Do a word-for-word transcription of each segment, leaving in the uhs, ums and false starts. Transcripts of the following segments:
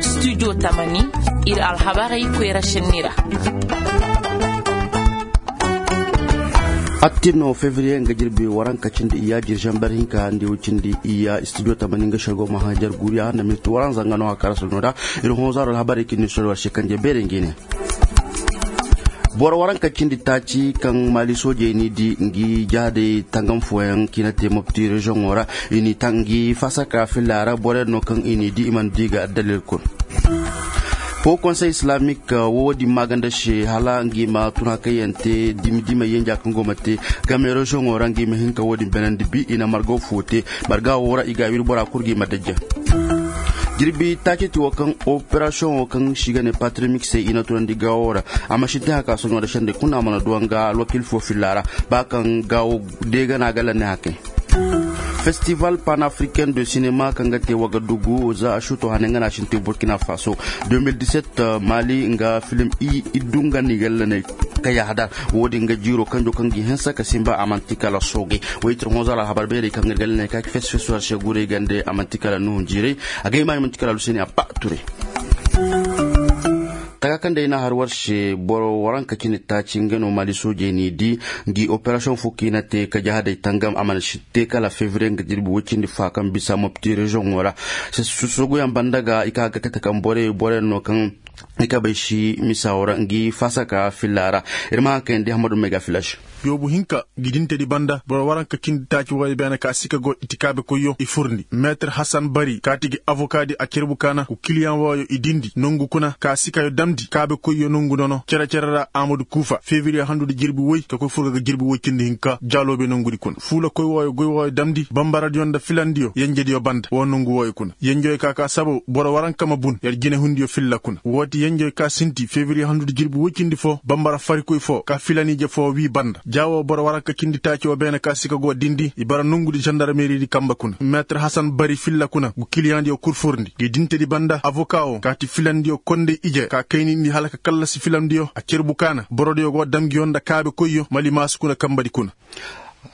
Studio tamani, ir alhabarey koyra šenni ra. Attin no fevriye nga jirbi waranka cindi iya jir zamber hinka handi wo cindi iya studio tamani nga šego ma hajar guriya na minti waranza nga no hakara sono da. Ir honzaro alhabarey kinni soro war sekanje bere ngine. Boro waranka cindi taaci kaŋ mali soojey n'i di ngi jaadey tangam fooyaŋ kaŋ i na te mopti reziyoŋo ra. I n'i ta ngi fasaka filla ra boro yaŋ no kaŋ i n'i di i mana di ga dalil kul. Fo konsey islamik wo- din maaganda se hala ngi ma tuna kaŋ yaŋ te dimi dima yenja kaŋ go ma te game reziyoŋo ra ngi ma hin ka wo- din benandi bi i na marga fo te. Marga wo ra i ga wiri bora kul gi ma dajja. Jirbi taaciti wo kaŋ operasiyoŋo kaŋ si ga ne patrimik se i na tunandi gaawo ra. A ma sintin haka soɲo da sende kuna a mana duwa nga alwakil fo filla ra. Ba kaŋ gaawo deegana ga lanne hakay. Festival panafricain de sinema kaŋ ga te wagadugu za a suto hane nga na sintin burkina faso. Deux mille dix-sept mali nga filim i iddu nga ni ga lanne. Kayahadar wo- din ga jiiro kanjo kaŋ gi hinsa ka simba a manti kala soogay. Waytir honzar alhabar beerey kaŋ ir ga lanne ka fes fes war se guray gande a manti kala nuhun jiiray. A ga hima a manti kala luseni a ba turay. Taka kaŋ day na har war se boro waranka cindi taaci nga no mali soojey n'i di. Ngi operasiyoŋ fo kaŋ i na te ka jahadey tangam a mana si te kala fevriye nga jirbi woy cindi fa kaŋ bisa mopti reziyoŋo ra. Sogoyaŋ banda ga i ka ga kate kaŋ borey boro yaŋ no kaŋ i kabay si misa wo ra ngi fasaka filla ra. Ir ma haŋ kayandi hamadu may ga filla se. Yoobu hinka gi dintedi banda boro waranka cindi taaci wooyo beene ka sika go i ti kaabekoyyo i furndi meetir hasan bari kaati gi avokaadi a cerbu kaana ku kiliyaŋ wooyo i dindi nongu kuna ka sikayo damndi kaabekoyyo nongu nono cere-cere ra amadu kuufa fevriye handudi jirbi woy ka koy furga ga jirbi woy cindi hinka jaaloobe nongudi kuna fuulakoy wooyo goy wooyo damndi bambaradiyo nda filandiyo yenjediyo banda woo nongu wooyo kuna yenjoyo ka ka sababu boro waranka ma bun yer jinehundiyo filla kuna woo ti yenjoyo ka sinti fevriye handudi jirbi woy cindi foo bambara farikoy foo ka filaniije foo wii banda jaa woo boro waranka cindi taaci woo beene ka sika goo dindi i bara nongudi zandarmeeridi kamba kuna meetir hasan bari filla kuna gu kiliyaŋdiyo kul furndi gi dintedi banda avoka woo ka ti filandiyo kondey ije ka kaynindi hala ka kallasi filandiyo a cerbu kaana borodiyo goo dam ngiyo nda kaabekoyyo mali maasu kuna kambadi kuna.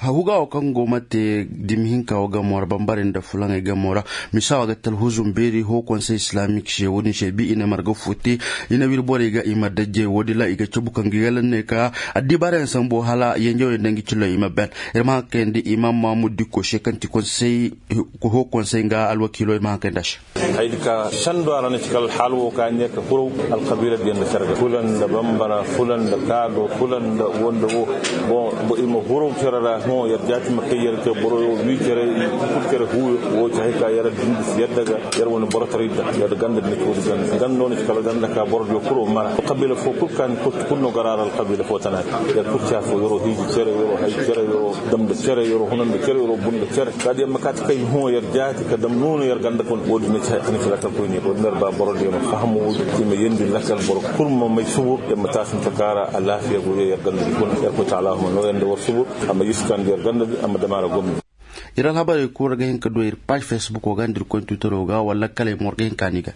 Huga wo kaŋ go ma te dimi hinka wo gamo ra bambari nda fulaŋey gamo ra. Misa wo ga talhuzum beeri ho konsey islamik se wo- din se bi i na marga fo te i na wir borey ga i ma dajjey wo- din ra i ga cabu kaŋ ga i ga lanne ka addibaarayaŋ sambu hala yenjawey nda ngi cilloy i ma ben. Ir ma haŋ kayandi imam mahamud dikko se kaŋ ti konsey ho konsey nga alwakiilo ir ma haŋ kayandi a se. Haydi ka sendo a ra na ci kala alhaal wo ka ne ka furaw alkabiila diyaŋ nda cere ga fula nda bambara fula nda kaado fula nda woo nda woo. Boŋ i ma furaw cere ra hõ yer jaati ma kay yer te boro wii cere i kul cere huuyo. Woo ci hay ka yer dindi si yadda ga yer wane borotaray da yer ganda din ci woo di ganda ganda no na ci kala ganda ka boro diyo kul wo mara kabiila foo kul ka ni kul no gar a ra alkabiila foo tana. Yer kul ci a foo yer wo hiiji cere yer wo hay cere yer wo damda cere yer wo hunanda cere yer wo bunda cere ka di yer ma kaati kay hõ yer jaati ka dam nuuna yer ganda kuna woo din na ci hay a na ci lakal koy ne woo din yer ba boro diyo ma faham woo din ci ma yendi lakal boro kul ma may subur yer ma taasin taka ra alaafiya go yer ganda di kuna yer koy taala huma noo yer nda war subur. A ma yuskan di yer ganda di a ma dam a ra gomni. Ir alhabarey kul war ga hin ka du ir paaz fesbuk wo ga nda ir koy twitter wo ga wala kala i ma war ga hin ka ni ga.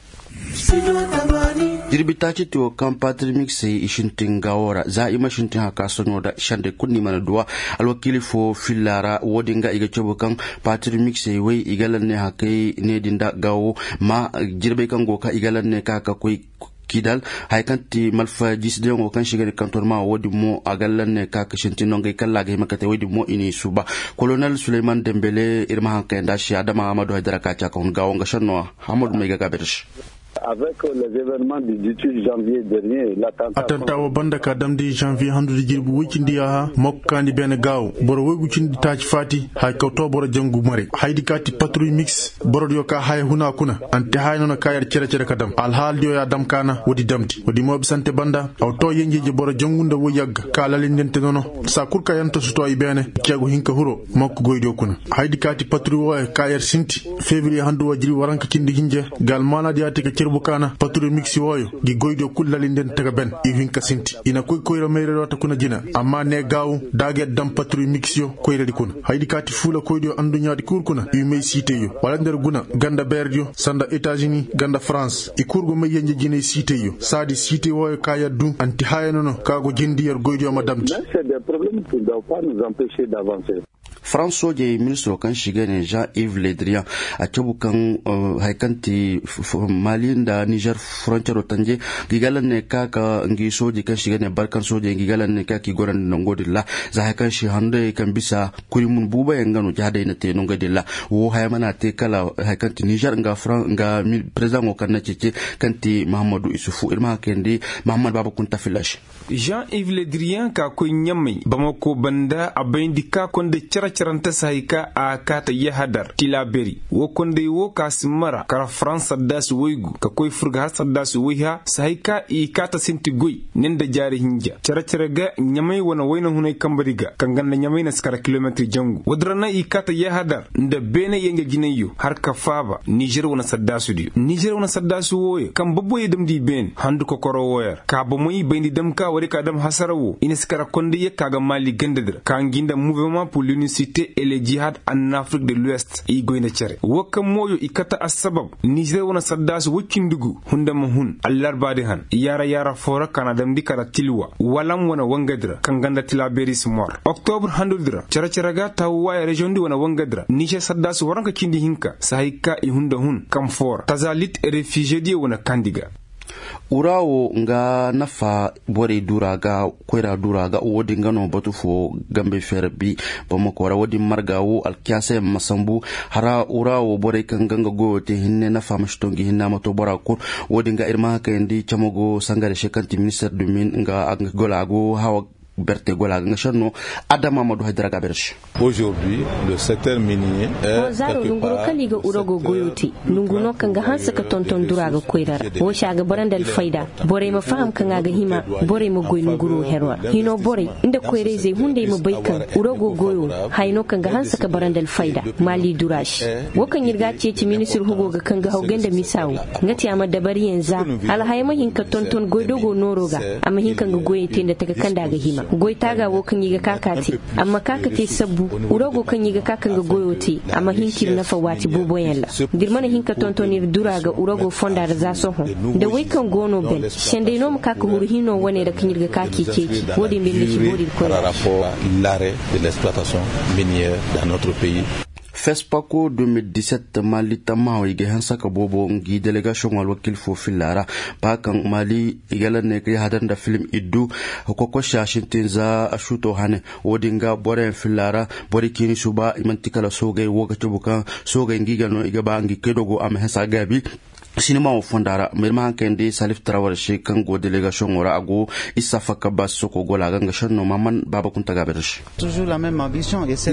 Jirbi taaci ti wo kaŋ patrik miksey i sintin gaawo ra za i ma sintin haka soɲo da sendey kul no i mana duw'a. Alwakiili foo filla ra woo din ga i ga cabu kaŋ patrik miksey wey i ga lanne hakey ne din da gaawo ma jirbey kaŋ go ka i ga lanne ka ka koy kidal haya kaŋ ti malfa jiisidiyaŋo kaŋ se i ga ne kantorma woo din mo a ga lanne ka ka sintin no ngey kalla a ga hima kate wey din mo i n'i suuba. Kolonel suleyman dembele ir ma haŋ kayandi a se adama amadu haydara ka ci a ka hun gaawo nga senno. Amadu may ga gaabir se. Atanta woo banda ka damndi zanviye handudi jirbi woy cindi yaaha mokko kaani beene gaawo boro woygu cindi taaci faati haya ka too boro jangu marey hayadi ka ti patruy miks borodiyo ka haya huna kuna. Anti haya noona ka yer cere-cere ka dam alhaaladiyo y'a dam kaana woodi damndi woodi mo bisante banda. Aw too yenje-ije boro jangu nda woy yagga ka lalindente nono. Saa kul ka yer nta suto i beene ceegu hinka hiro mokko goydiyo kuna. Hayadi ka ti patruy wooyo ka yer sinti febriye handu woo jirbi waranka cindi hinja. Ga almaanaadiyo a te ka cerbu kaana patruy miks wooyo ngi goydiyo kul lalindente ga ben. I hin ka sinti i na koy koyra mayradiyo ta kuna jina. Amma ne gaawu da a ga yer dam patruy miksiyo koyradi kuna. Hayadi ka ti fuulakoydiyo anduɲaadi kul kuna i may siitayyo wala nda yer guna ganda beeradiyo sanda etazini ganda farans i kul go may yenje jinay siitayyo saadi siitay wooyo ka yer du anti haya nono ka go jindi yer goydiyo ma damndi. Ces des problèmes qui ne doivent pas nous empecher d'avancer. Farans soojey ministiro kaŋ se i ga ne Jean Yves Le Drian, a cabu kaŋ haya kaŋ ti Mali nda Nizer frontiero tanje, ngi ga lalle ne ka ka ngi soojey kaŋ se i ga ne Barkan soojey ngi ga lalle ne ka ka i gorandi nango din ra. Za haya kaŋ se handu day kaŋ bisa kuri mun buuboyaŋ ga no jahadey na te nango din ra. Wo haya mana te kala haya kaŋ ti Nizer nga Faran nga prezidaŋo kaŋ na ceece kaŋ ti Mahammadu Isufu ir ma haŋ kayandi Mahammad Baaba Kunta Filaš. Jean Yves Le Drian ka koy Ɲamay Bamako banda a bayndi ka konda cere-cerante sahay ka a kaata yahadar tilaberi wo konday wo ka si mara kara Faransa daasi woygu ka koy fur ga har saddaasu woyha sahay ka i kaata sinti goy ne nda jaari hinja cere-cere ga Ɲamay wane wayna hunay kambari ga kaŋ ganda Ɲamay na si kara kilometir jangu woodin ra na i kaata yahadar nda beene yanja jinayyo har ka faaba Nizer wane saddaasu diyo Nizer wane saddaasu wooyo kaŋ boboyey damndi beene handu kokoro wooyo ra ka bomey bayndi dam ka warey ka dam hasara wo i na si kara kondayye ka ga Maali gandadi ra ka ngi nda mouvement pour l'unicité et le jihad en Afrique de l'Ouest i goy nda cere wo kaŋ mooyo i kate assabab Nizer wane saddaasu woy cindi gu hunda ma hun allarbaadi han yaara yaara foo ra ka na damndi kala tilwa walam wane wangadi ra kaŋ ganda tilabeeri si mor oktobur handudi ra cere-cere ga taawu waaya reziyoŋdi wane wangadi ra Nizer saddaasu waranka cindi hinka sahay ka i hunda hun kaŋ foo ra tazalit refiziye diyo wane kaandi ga. Ura wo nga nafa borey dura ga koyra dura ga wo- din ga no batu fo gambey feera bi bamako ra wo- din marga wo alkiyaasa yaŋ ma sambu hara ura wo borey kaŋ ga nga goyo te hinne nafa ma si to ngi hinne a ma to bora kul wo- din ga ir ma haŋ kayandi camago sangare se kaŋ ti minister dumin nga gola go hawa berte gola ga nga senno adama ma du hay dira ga bere se. Aujourd'hui le secteur minier est quelque part nunguro kaŋ i ga urago goyo te nungu no kaŋ ga hanse ka tonton dura ga koyra ra wo se a ga bara nda alfayda borey ma faham kaŋ a ga hima borey ma goy nunguro hero ra hino borey nda koyrayzey hunday ma bay kaŋ urago goyo haya no kaŋ ga hanse ka bara nda alfayda maali dura se wo kaŋ ir ga a ceeci ministir hugo ga kaŋ ga hawgay nda misa wo nga ti a ma dabariyaŋ za alhaya ma hin ka tonton goydogo nooro ga a ma hin ka nga goyey te nda taka kaŋ nda a ga hima goy taaga wo kaŋ i ga ka ka te amma ka ka te sabbu urago kaŋ i ga ka ka nga goyo te a ma hin ka ir nafa waati booboyaŋ ra da ir mana hin ka tonton ir dura ga urago fonda ra za sohõ nda wey kaŋ go no ben senday no ma ka ka huru hino wane ra kaŋ ir ga ka k'i ceeci wo- din binde si boori ir koy ra. Fespako deux mille dix-sept mali tammahaw i ga hanse ka boobo ngi delegasiyoŋo alwakiil fo filla ra ba kaŋ mali i ga lanne ka yahadar nda filim iddu kokosa sintin za a suuto hane wo- din ga boroyaŋ filla ra borey ciini suba i man'ti kala soogey wo ga cabu kaŋ soogey ngi ga no i ga ba ngi kaydogo a ma hanse a gaabi sinima wo fonda ra ma ir ma haŋ kayandi salif tarawar se kaŋ go delegasiyoŋo ra a go isa fakka ba sisoko gola ga nga senno ma man baaba kunta gaabi ra se.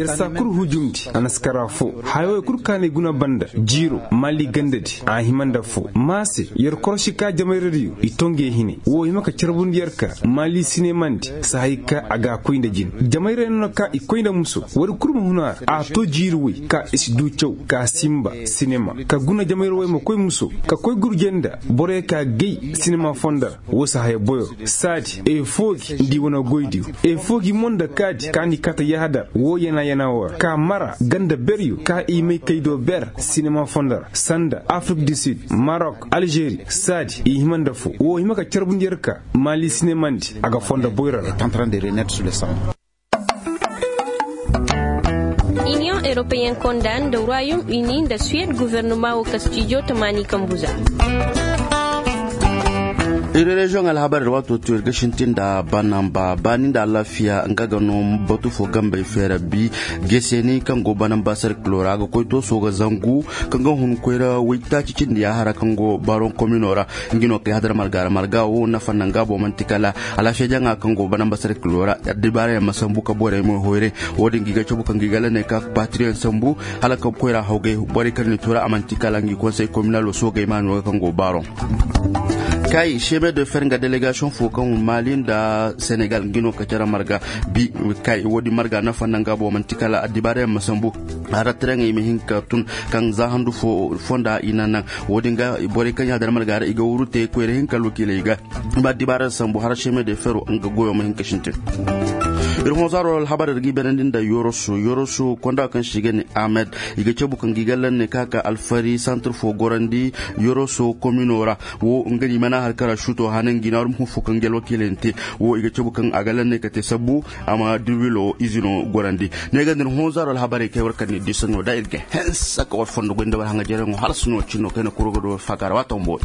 Yarsa kul hujumdi a na si kara fo hayo ya kul kaanay guna banda jiiro maali gandadi a hima nda fo maase yar korosi ka jamayradiyo i to nge hine wo hima ka carbundi yar ka maali sinemandi sahay ka a ga koy nda jin jamayra no ka i koy nda muso wari kul ma huna a to jiiri way ka i si du caw ka simba sinema ka guna jamayra way ma koy muso ka koy gurjey nda boroy ka gay sinema fondar wo si haya boyo saadi efoogi nda i wane goydiyo efoogi mo nda kaadi ka ni kata yahadar wo yana yana wo ra ka mara ganda beryo ka i may kay do ber sinema fondar sanda afrik du sud marok algeri saadi i hima nda fo wo hima ka carbundi yer ka mali sinemandi a ga fonda boyra ra. Union européen konda nda royaume uni nda suwed guvernoma wo ka studio tamani kambuza. Iri reziyoŋ alhabar ir waato to ir ga sintin nda banamba baani nda alaafiya nga ga no batu fo gambey feera bi geseni kaŋ go banamba sarkilo ra a ga koy to sooga zangu kaŋ ga hun koyra waytaaci cindi ya hara kaŋ go baron komino ra. Ngi no kay hadar marga ra marga wo nafa nanga bo manti kala alaafiya jaŋa kaŋ go banamba sarkilo ra. Addibaarayaŋ ma sambu ka borey moy hoyray wo-din gi ga cabu kaŋ gi ga laney ka patriyaŋ sambu hala ka koyra hawgay borey kaŋ ni tura a manti kala ngi konsey kominal wo soogay maano ga kaŋ go baaro. Kay chemin de fer nga delegasiyoŋ fo kaŋ mali nda senegal ngi no ka care marga bi kay wo-din marga nafa nanga bo manti kala addibaarayaŋ ma sambu. Harattiraŋey ma hin ka tun kaŋ za handu fo fonda i na naŋ wo-din ga borey kaŋ yaadar marga ra i ga wuru te koyra hin ka lokiley ga ba dibaarayaŋ sambu hara chemin de fer wo nga goyo ma hin ka sintin. Ir honzaaro alhabar ir ga i banandi nda yoroso yoroso konda kaŋ se i ga ne ahmed, i ga cabu kaŋ ga i ga lanney ka ka alfari santir fo gorandi yoroso komino ra. Wo nga ni mana har kara suto hanan gina war ma hun fo kaŋ ga alwakiiley na te. Wo i ga cabu kaŋ a ga lanney ka te sabbu a ma dirwilo izino gorandi. Ne ga nda ir honzaaro alhabarey kay war kaŋ ni disanno da ir ga hensa ka war fondo goy nda war haŋa jaraŋo hala sino cinno kayna kuro ga do war faaka ra waati wambo.